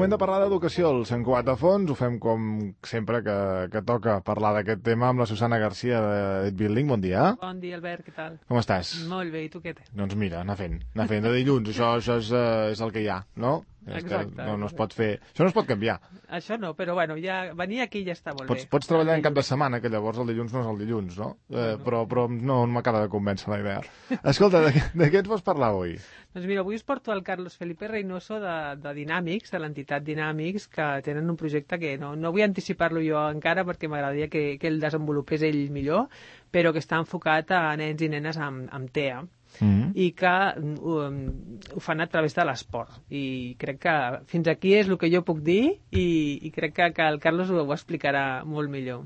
moment de parlar d'educació al 104 Fons. Ho fem com sempre que toca parlar d'aquest tema amb la Susana Garcia de It Building. Bon dia. Bon dia, Albert, què tal? Com estàs? Molt bé, i tu què té? Doncs mira, anar fent de dilluns. Això és el que hi ha, no? Exacte. No es pot fer... Això no es pot canviar. Això no, però bueno, ja venir aquí ja està molt bé. Pots treballar en cap de setmana, que llavors el dilluns no és el dilluns, no? Però no m'acaba de convèncer la idea. Escolta, de què ens vols parlar avui? Doncs mira, avui us porto el Carlos Felipe Reynoso de Dynamics, de l'entitat Dynamics, que tenen un projecte que no vull anticipar-lo jo encara perquè m'agradaria que el desenvolupés ell millor, però que està enfocat a nens i nenes amb TEA. I que ho fan a través de l'esport. I crec que fins aquí és el que jo puc dir i crec que el Carlos ho explicarà molt millor.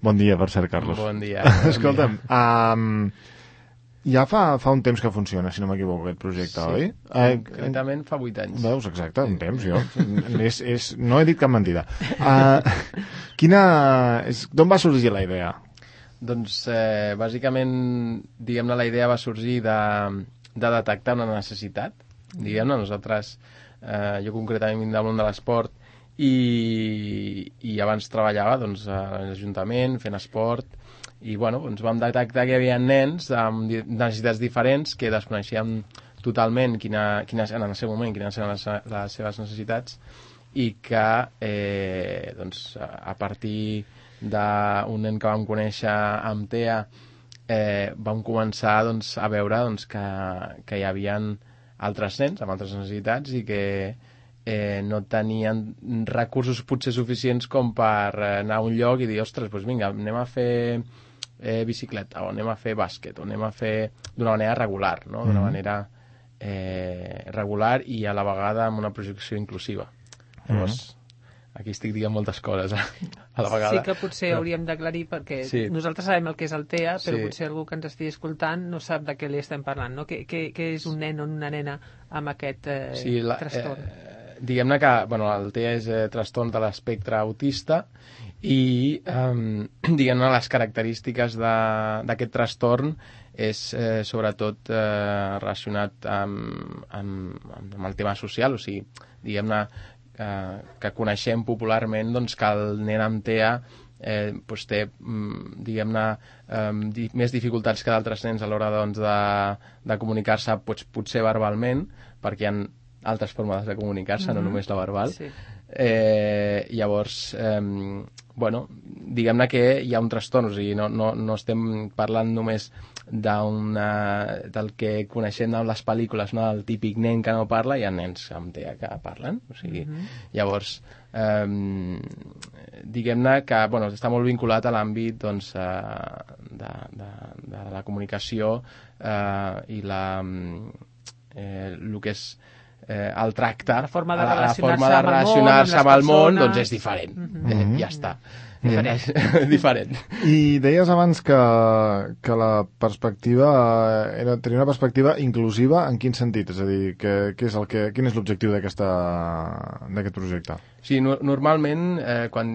Bon dia, per cert, Carlos. Bon dia. Escolta'm, ja fa un temps que funciona, si no m'equivoco, aquest projecte, sí, oi? Concretament fa 8 anys. Veus, exacte, un temps, jo. No he dit cap mentida. D'on va sorgir la idea? Doncs, bàsicament, diguem-ne, la idea va sorgir de detectar una necessitat. Diguem-ne, nosaltres, jo concretament vinc del món de l'esport i abans treballava doncs, a l'Ajuntament fent esport i bueno, doncs vam detectar que hi havia nens amb necessitats diferents que desconeixíem totalment quines en el seu moment quines eren les seves necessitats i que doncs, a partir d'un nen que vam conèixer amb TEA vam començar doncs, a veure doncs, que hi havia altres nens amb altres necessitats i que no tenien recursos potser suficients com per anar a un lloc i dir, ostres, doncs vinga, anem a fer bicicleta o anem a fer bàsquet o anem a fer d'una manera regular, no? D'una manera regular i a la vegada amb una projecció inclusiva. Llavors, aquí estic dient moltes coses a la vegada. Sí que potser hauríem d'aclarir perquè nosaltres sabem el que és el TEA, però potser algú que ens estigui escoltant no sap de què li estem parlant, no? Què és un nen o una nena amb aquest trastorn? Diguem-ne que el TEA és trastorn de l'espectre autista i diguem-ne les característiques d'aquest trastorn és sobretot relacionat amb el tema social, o sigui, diguem-ne que coneixem popularment doncs, que el nen amb TEA doncs té diguem-ne més dificultats que d'altres nens a l'hora doncs, de comunicar-se potser verbalment, perquè hi ha altres formes de comunicar-se, no només la verbal. Sí. Llavors, diguem-ne que hi ha un trastorn, o sigui, no estem parlant només del que coneixem en les pel·lícules, no? El típic nen que no parla, hi ha nens amb TEA que parlen, o sigui, llavors diguem-ne que està molt vinculat a l'àmbit doncs, de la comunicació i el que és el tracte, la forma de relacionar-se amb el món doncs és diferent, ja està. Diferent. I deies abans que la perspectiva tenia una perspectiva inclusiva en quin sentit? És a dir, quin és l'objectiu d'aquest projecte? Sí, normalment quan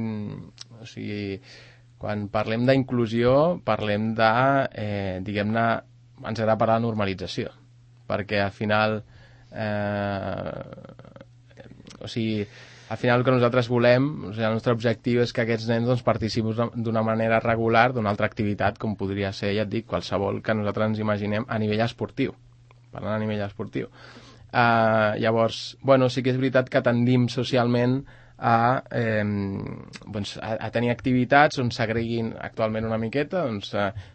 parlem d'inclusió parlem de, diguem-ne, ens agrada parlar de normalització, perquè al final al final el que nosaltres volem, el nostre objectiu és que aquests nens doncs, participin d'una manera regular d'una altra activitat, com podria ser, ja et dic, qualsevol que nosaltres ens imaginem a nivell esportiu, parlant a nivell esportiu. Llavors, sí que és veritat que tendim socialment a tenir activitats on s'agreguin actualment una miqueta,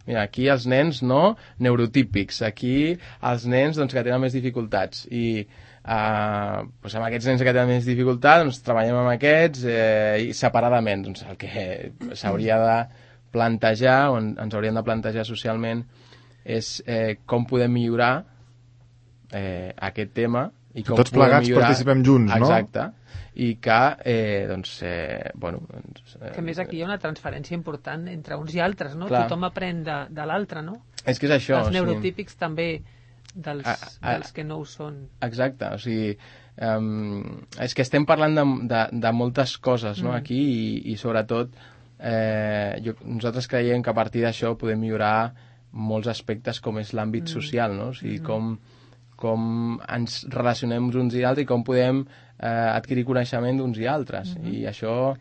mira, aquí els nens neurotípics, aquí els nens que tenen més dificultats i amb aquests nens que tenen més dificultats treballem amb aquests i separadament el que s'hauria de plantejar o ens hauríem de plantejar socialment és com podem millorar aquest tema i com tots plegats participem junts, no? Exacte. I que, que més aquí hi ha una transferència important entre uns i altres, no? Clar. Tothom aprèn de l'altre, no? És que és això. Els neurotípics també dels que no ho són. Exacte, o sigui, és que estem parlant de moltes coses, no?, aquí i sobretot nosaltres creiem que a partir d'això podem millorar molts aspectes com és l'àmbit social, no? O sigui, com ens relacionem uns i altres i com podem adquirir coneixement d'uns i altres. I això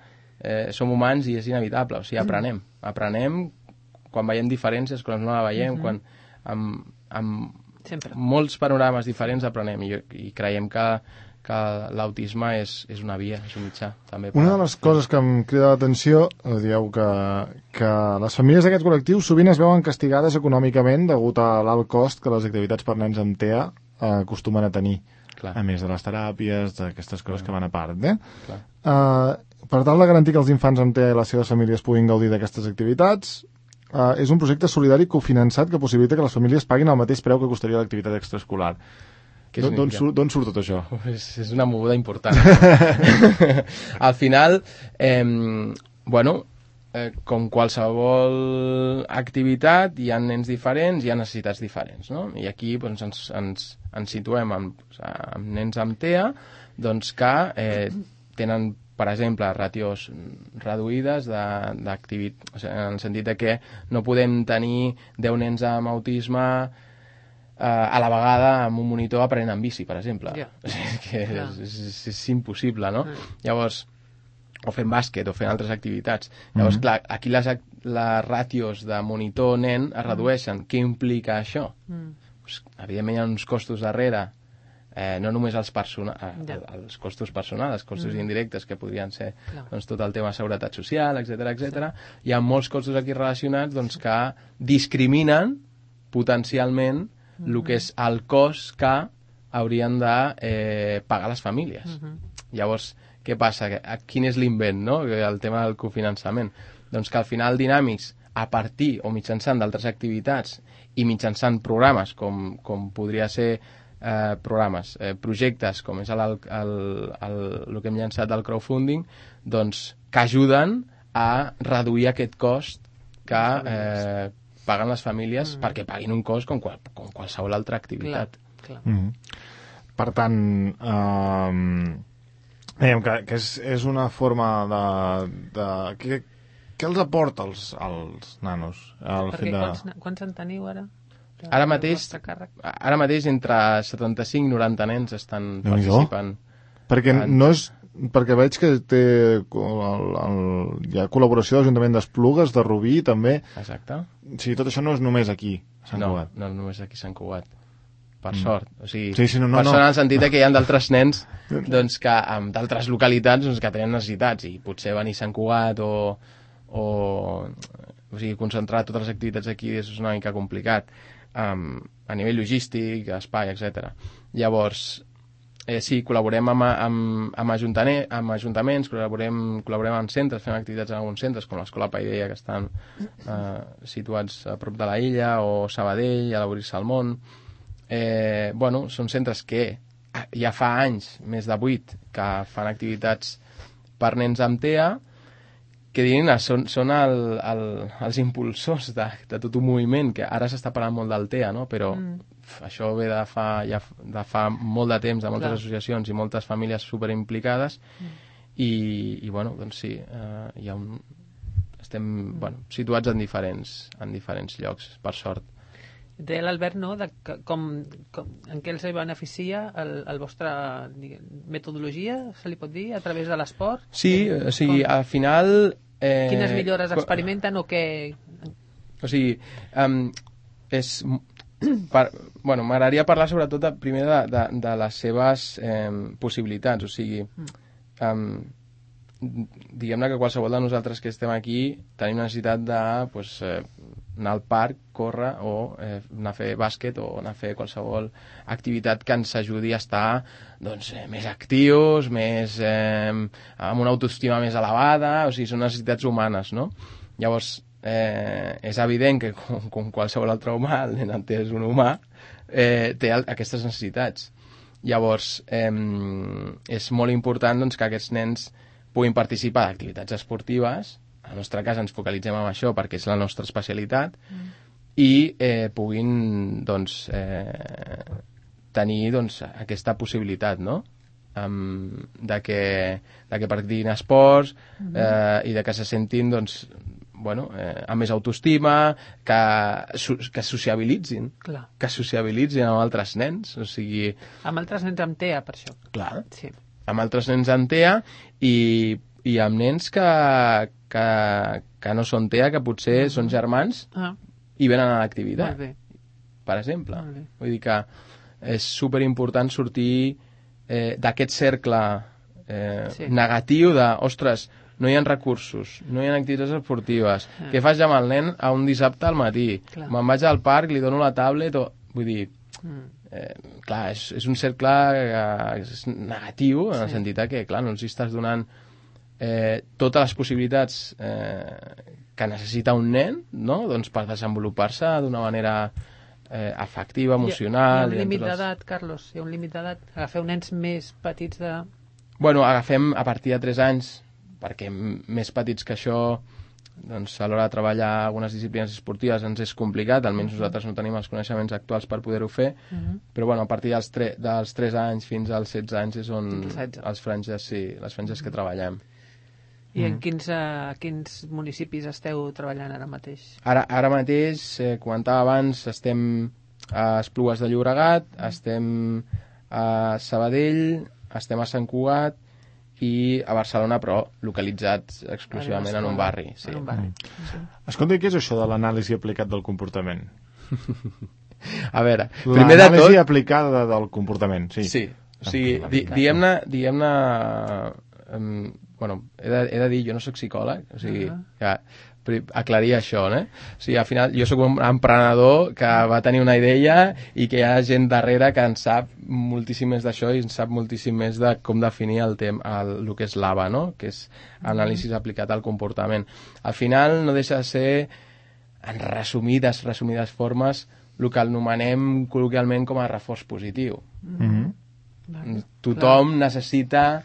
som humans i és inevitable, o sigui, aprenem quan veiem diferències, quan no la veiem, quan amb molts panorames diferents aprenem i creiem que l'autisme és una via, és un mitjà. També una de les coses que em crida l'atenció, dieu que les famílies d'aquest col·lectiu sovint es veuen castigades econòmicament degut a l'alt cost que les activitats per nens amb TEA acostumen a tenir. Clar. A més de les teràpies, d'aquestes coses que van a part. Per tal de garantir que els infants amb TEA i les seves famílies puguin gaudir d'aquestes activitats, és un projecte solidari cofinançat que possibilita que les famílies paguin el mateix preu que costaria l'activitat extraescolar. D'on surt tot això? És una moguda important. Al final, com qualsevol activitat, hi ha nens diferents, hi ha necessitats diferents, no? I aquí ens situem amb nens amb TEA que tenen, per exemple, ràtios reduïdes d'activitat, en el sentit de que no podem tenir 10 nens amb autisme a la vegada amb un monitor aprenent en bici, per exemple. És impossible, no? Llavors, o fent bàsquet o fent altres activitats. Llavors, clar, aquí les ràtios de monitor-nen es redueixen. Què implica això? Pues, evidentment hi ha uns costos darrere, no només els costos personals, els costos indirectes, que podrien ser tot el tema de seguretat social, etc. Hi ha molts costos aquí relacionats que discriminen potencialment el que és el cost que haurien de pagar les famílies. Llavors, què passa? Quin és l'invent, no? El tema del cofinançament. Doncs que al final Dynamics, a partir o mitjançant d'altres activitats i mitjançant programes, com podria ser projectes, com és el que hem llançat del crowdfunding, doncs que ajuden a reduir aquest cost que paguen les famílies perquè paguin un cost com qualsevol altra activitat. Clar. Per tant, dèiem que és una forma de què els aporta als nanos? Quants en teniu ara? Ara mateix entre 75 i 90 nens estan participant. Perquè veig que hi ha col·laboració de l'Ajuntament d'Esplugues, de Rubí, també. Exacte. O sigui, tot això no és només aquí, a Sant Cugat. No, només aquí a Sant Cugat. Per sort. O sigui, per sort en el sentit que hi ha d'altres nens d'altres localitats que tenen necessitats i potser venir a Sant Cugat o sigui, concentrar totes les activitats aquí és una mica complicat a nivell logístic, espai, etc. Llavors, sí, col·laborem amb ajuntaments, col·laborem amb centres, fem activitats en alguns centres, com l'Escola Paideia, que estan situats a prop de la illa, o Sabadell, a l'Obrir Salmón. Són centres que ja fa anys, més de 8, que fan activitats per nens amb TEA, que són els impulsors de tot un moviment, que ara s'està parlant molt del TEA, no? Però això ve de fa molt de temps, de moltes associacions i moltes famílies superimplicades, i doncs sí, estem situats en diferents llocs, per sort. Deia l'Albert, no?, en què els beneficia el vostre metodologia, se li pot dir, a través de l'esport? Sí, o sigui, al final... Quines millores experimenten o què... O sigui, m'agradaria parlar sobretot primer de les seves possibilitats, o sigui, diguem-ne que qualsevol de nosaltres que estem aquí tenim necessitat de anar al parc, córrer o anar a fer bàsquet o anar a fer qualsevol activitat que ens ajudi a estar més actius, amb una autoestima més elevada, o sigui, són necessitats humanes, no? Llavors, és evident que com qualsevol altre humà, el nen entès un humà, té aquestes necessitats. Llavors, és molt important que aquests nens puguin participar d'activitats esportives. En el nostre cas ens focalitzem en això perquè és la nostra especialitat, i puguin tenir aquesta possibilitat, no? De que practiquin esports i de que se sentin amb més autoestima, que sociabilitzin, que sociabilitzin amb altres nens, o sigui... Amb altres nens amb TEA, per això. Clar, sí. Amb altres nens amb TEA i amb nens que no són TEA, que potser són germans i venen a l'activitat, per exemple. Vull dir que és superimportant sortir d'aquest cercle negatiu de, ostres, no hi ha recursos, no hi ha activitats esportives. Què fas ja amb el nen a un dissabte al matí? Me'n vaig al parc, li dono la tablet... Vull dir, clar, és un cercle negatiu, en el sentit que, clar, no els estàs donant totes les possibilitats que necessita un nen, no?, doncs per desenvolupar-se d'una manera afectiva, emocional... Hi ha un límit d'edat, Carlos? Hi ha un límit d'edat? Agafeu nens més petits de... Bueno, agafem a partir de 3 anys, perquè més petits que això, doncs a l'hora de treballar algunes disciplines esportives ens és complicat, almenys nosaltres no tenim els coneixements actuals per poder-ho fer, però bueno, a partir dels 3 anys fins als 16 anys és on les franges que treballem. I en quins municipis esteu treballant ara mateix? Ara mateix, comentava abans, estem a Esplugues de Llobregat, estem a Sabadell, estem a Sant Cugat i a Barcelona, però localitzats exclusivament en un barri. Sí. Escolta, què és això de l'anàlisi aplicat del comportament? A veure, primer de tot... L'anàlisi aplicada del comportament, sí. Sí, o sigui, diguem-ne... Bueno, he de dir, jo no soc psicòleg, o sigui, aclarir això, O sigui, al final, jo sóc un emprenedor que va tenir una idea i que hi ha gent darrere que en sap moltíssim més d'això i en sap moltíssim més de com definir el que és l'ABA, que és anàlisi aplicat al comportament. Al final no deixa de ser, en resumides formes, el que anomenem col·loquialment com a reforç positiu. Tothom necessita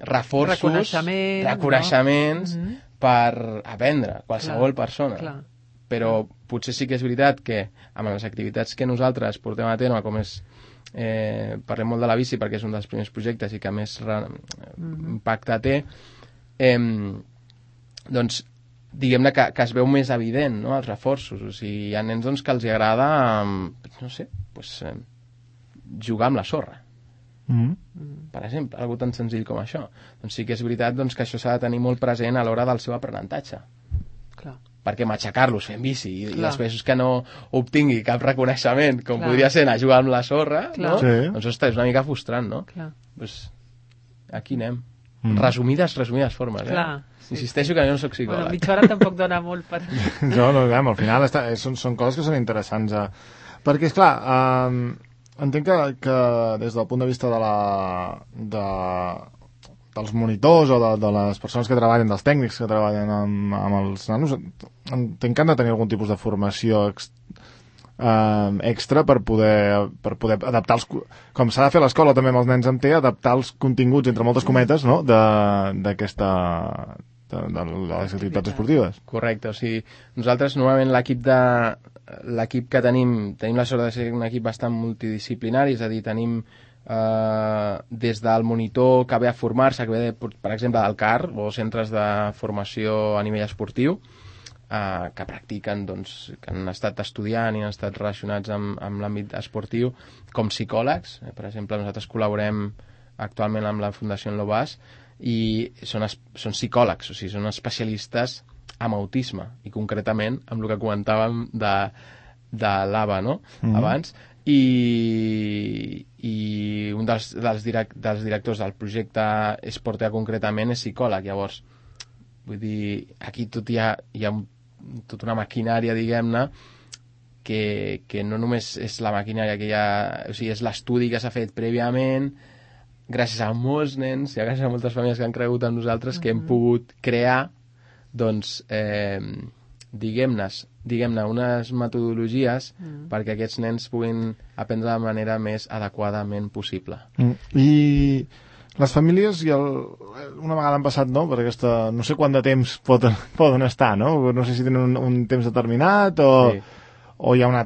reforços, reconeixements per aprendre, qualsevol persona. Però potser sí que és veritat que amb les activitats que nosaltres portem a terme, com és parlem molt de la bici perquè és un dels primers projectes i que més impacte té, doncs diguem-ne que es veu més evident, no?, els reforços. O sigui, hi ha nens doncs, que els agrada jugar amb la sorra, per exemple, algo tan senzill com això. Doncs sí que és veritat doncs, que això s'ha de tenir molt present a l'hora del seu aprenentatge. Perquè matxacar-los fent bici i després que no obtingui cap reconeixement, com podria ser anar a jugar amb la sorra, no? Doncs ostres, és una mica frustrant, no? Doncs aquí anem. Resumides formes, Insisteixo que jo no soc psicòleg. Bueno, mitja hora tampoc dona molt per... No, al final són coses que són interessants. Perquè, esclar, entenc que des del punt de vista dels monitors o de les persones que treballen, dels tècnics que treballen amb els nanos, entenc que han de tenir algun tipus de formació extra per poder adaptar com s'ha de fer a l'escola també amb els nens amb TEA, adaptar els continguts, entre moltes cometes, no?, de les activitats esportives. Correcte, o sigui, nosaltres normalment l'equip que tenim la sort de ser un equip bastant multidisciplinari, és a dir, tenim des del monitor que ve a formar-se, que ve, per exemple, del CAR o centres de formació a nivell esportiu, que practiquen, doncs, que han estat estudiant i han estat relacionats amb l'àmbit esportiu, com psicòlegs. Per exemple, nosaltres col·laborem actualment amb la Fundació Enlobàs i són psicòlegs, o sigui, són especialistes en autisme i concretament amb el que comentàvem de l'ABA, no?, abans. I un dels directors del projecte Esportea concretament és psicòleg. Llavors, vull dir, aquí hi ha tota una maquinària, diguem-ne, que no només és la maquinària que hi ha, o sigui, és l'estudi que s'ha fet prèviament, gràcies a molts nens i gràcies a moltes famílies que han cregut en nosaltres, que hem pogut crear, doncs, diguem-ne, unes metodologies perquè aquests nens puguin aprendre de la manera més adequadament possible. I les famílies, una vegada han passat, no?, per aquesta... No sé quant de temps poden estar, no? No sé si tenen un temps determinat o hi ha una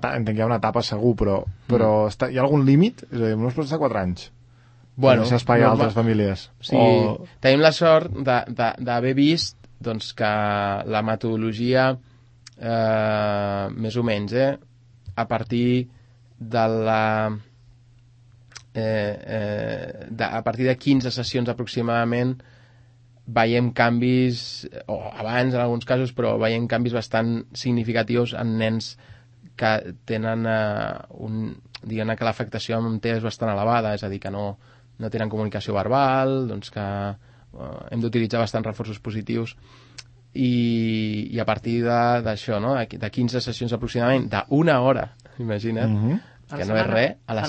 etapa segur, però hi ha algun límit? És a dir, no es pot estar 4 anys. Bueno, deixar espai a altres famílies. Sí, tenim la sort d'haver vist doncs que la metodologia, més o menys, a partir de a partir de 15 sessions aproximadament veiem canvis, o abans en alguns casos, però veiem canvis bastant significatius en nens que tenen diguem que l'afectació amb TEA és bastant elevada, és a dir, que no tenen comunicació verbal, doncs que hem d'utilitzar bastants reforços positius i a partir d'això, no? De 15 sessions aproximadament, d'una hora, imagina't, que no és res, a la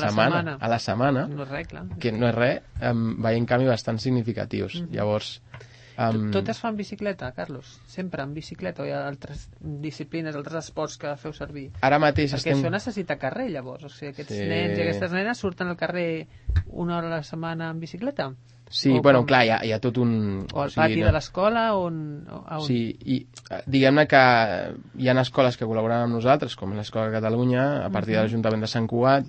setmana, no és res, clar. Que no és res, veiem canvis bastant significatius. Llavors... Tot es fa en bicicleta, Carlos? Sempre en bicicleta? O hi ha altres disciplines, altres esports que feu servir? Ara mateix perquè això necessita carrer, llavors. O sigui, aquests nens i aquestes nenes surten al carrer una hora a la setmana en bicicleta? Sí, bueno, clar, hi ha tot un... O al pati de l'escola, on... Sí, i diguem-ne que hi ha escoles que col·laboren amb nosaltres, com l'Escola de Catalunya, a partir de l'Ajuntament de Sant Cugat,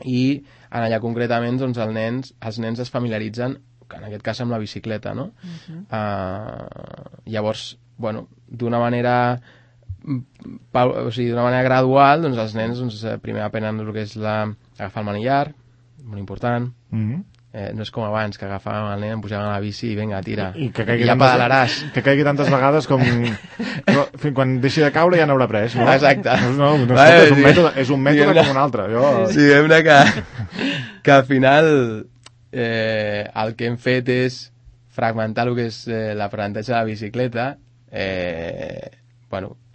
i en allà concretament doncs, els nens es familiaritzen, en aquest cas amb la bicicleta, no? Llavors, bueno, d'una manera gradual, doncs els nens primer aprenen el que és agafar el manillar, molt important. No és com abans, que agafàvem el nen, em pujaven a la bici i vinga, tira, i ja pedalaràs. Que caigui tantes vegades com... quan deixi de caure ja n'haurà pres, no? Exacte. No, és un mètode com un altre. Sí, diguem-ne que al final el que hem fet és fragmentar el que és l'aprenentatge de la bicicleta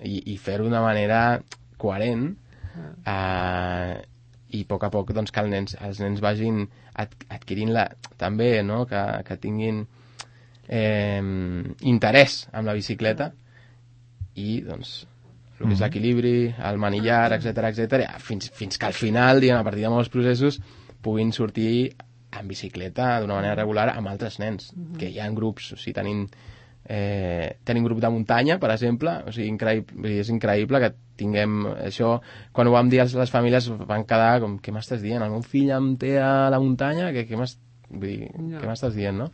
i fer-ho d'una manera coherent i a poc doncs, que els nens vagin adquirint també, no? que tinguin interès en la bicicleta i doncs el que és l'equilibri, el manillar, etc fins que al final, diguem, a partir de molts processos puguin sortir en bicicleta d'una manera regular amb altres nens, que hi ha grups, o sigui, tenim grup de muntanya, per exemple, o sigui, és increïble que tinguem això. Quan ho vam dir a les famílies van quedar com, què m'estàs dient? El meu fill em té a la muntanya? Què m'estàs dient, no?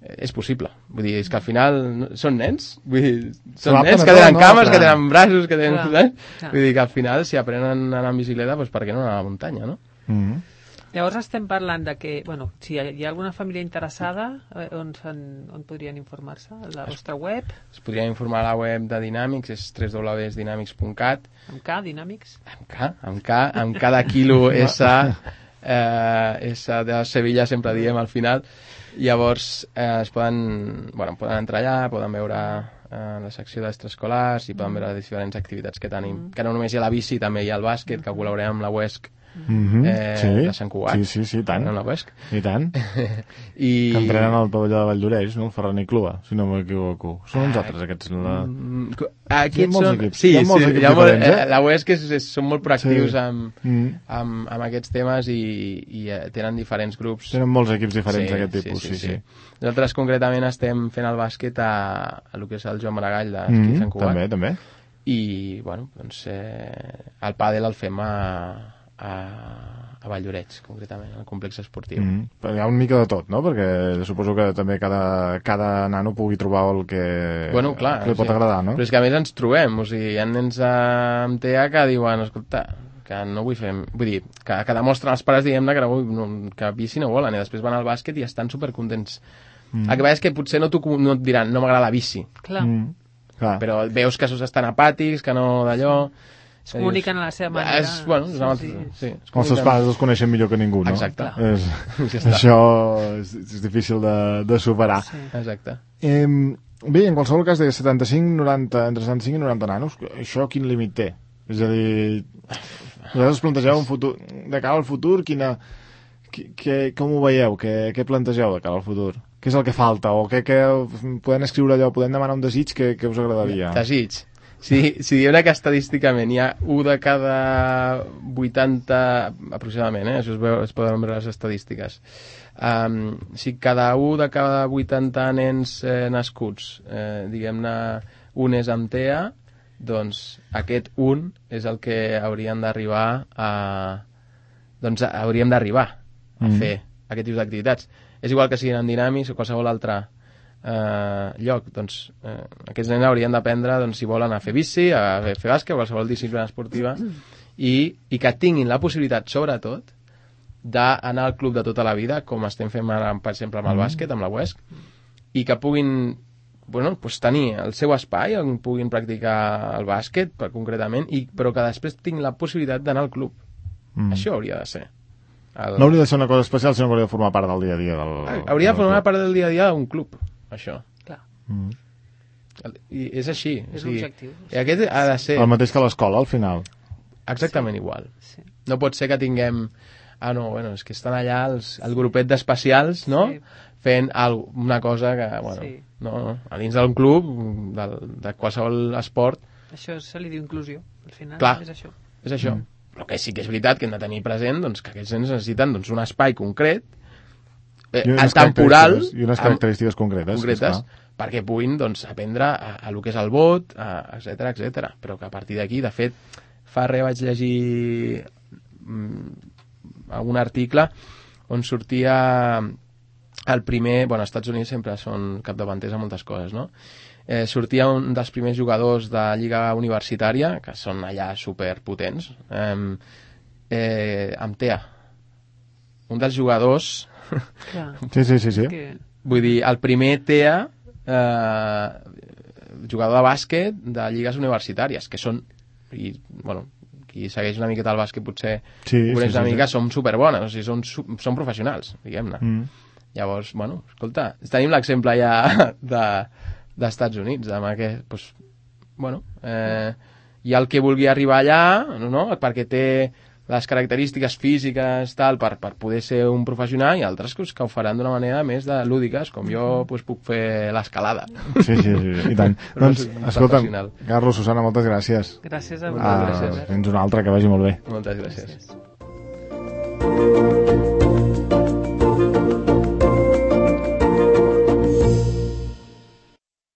És possible. Vull dir, és que al final són nens. Vull dir, són nens que tenen cames, que tenen braços, que tenen... Vull dir que al final, si aprenen a anar en bicicleta, doncs per què no anar a la muntanya, no? Llavors estem parlant de que, bueno, si hi ha alguna família interessada, on podrien informar-se? A la vostra web? Es podrien informar a la web de Dynamics, és www.dynamics.cat. Amb K, Dynamics? Amb K de quilo S, S de Sevilla sempre diem al final. Llavors poden entrar allà, poden veure la secció d'extraescolars i poden veure les diferents activitats que tenim. Que no només hi ha la bici, també hi ha el bàsquet, que col·laborem amb la UESC, de Sant Cugat. Sí, tant. No, la UESC. I tant. Que entrenen al pavelló de Valldoreix, no? El Ferran i Clua, si no m'equivoco. Són uns altres, aquests. Aquests són... Sí, la UESC són molt proactius amb aquests temes i tenen diferents grups. Tenen molts equips diferents d'aquest tipus, sí. Nosaltres concretament estem fent el bàsquet a el que és el Joan Maragall d'Esquí Sant Cugat. També. I, bueno, doncs el pàdel el fem a Valldoreix, concretament, al complex esportiu. Però hi ha una mica de tot, no? Perquè suposo que també cada nano pugui trobar el que, li pot agradar, no? Però és que a més ens trobem, o sigui, hi ha nens amb TEA que diuen, escolta, que no vull fer... Vull dir, que demostren els pares, diguem-ne, que bici no volen, i després van al bàsquet i estan supercontents. El que passa és que potser no et diran, no m'agrada la bici. Clar. Però veus que estan apàtics, que no d'allò... Es comuniquen a la seva manera. Els seus pares els coneixen millor que ningú, no? Exacte. Això és difícil de superar. Exacte. Bé, en qualsevol cas, de 75 entre 75 i 90 nanos, això quin límit té? És a dir, vosaltres plantegeu un futur, de cara al futur, com ho veieu? Què plantegeu de cara al futur? Què és el que falta? O podem escriure allò, podem demanar un desig que us agradaria? Desig. Si diem que estadísticament hi ha 1 de cada 80, aproximadament, això es poden veure les estadístiques. Si cada 1 de cada 80 nens nascuts, diguem-ne, un és amb TEA, doncs aquest un és el que hauríem d'arribar a fer aquest tipus d'activitats. És igual que siguin en Dynamics o qualsevol altre lloc, doncs aquests nens haurien d'aprendre, doncs, si volen a fer bici, a fer bàsquet, qualsevol disciplina esportiva, i que tinguin la possibilitat, sobretot, d'anar al club de tota la vida, com estem fent ara, per exemple, amb el bàsquet, amb la UESC, i que puguin tenir el seu espai on puguin practicar el bàsquet, concretament, però que després tinguin la possibilitat d'anar al club. Això hauria de ser. No hauria de ser una cosa especial, sinó que hauria de formar part del dia a dia. Hauria de formar part del dia a dia d'un club, això. Clar. I és així. És l'objectiu. I aquest ha de ser... El mateix que l'escola, al final. Exactament igual. Sí. No pot ser que tinguem... és que estan allà el grupet d'especials, no? Sí. Fent una cosa que, no, a dins d'un club, de qualsevol esport... Això se li diu inclusió, al final. Clar, és això. És això. Però que sí que és veritat que hem de tenir present doncs, que aquests nens necessiten doncs, un espai concret, temporal... I unes característiques concretes perquè puguin doncs, aprendre a lo que és el vot, etc. Però que a partir d'aquí, de fet, fa res vaig llegir algun article on sortia el primer... Bueno, als Estats Units sempre són capdavanters a moltes coses, no? Sortia un dels primers jugadors de lliga universitària, que són allà superpotents, amb TEA. Un dels jugadors... Sí. Vull dir, el primer TEA, jugador de bàsquet de lligues universitàries, que són... qui segueix una miqueta el bàsquet potser una mica, són superbones, o sigui, són professionals, diguem-ne. Llavors, escolta, tenim l'exemple ja d'Estats Units, amb aquest, hi ha el que vulgui arribar allà, no? Perquè té les característiques físiques tal, per poder ser un professional, i altres que ho faran d'una manera més de lúdiques, com jo puc fer l'escalada. Sí, i tant. Doncs, escolta'm, Carlos, Susana, moltes gràcies. Gràcies a vosaltres. Fins una altra, que vagi molt bé. Moltes gràcies.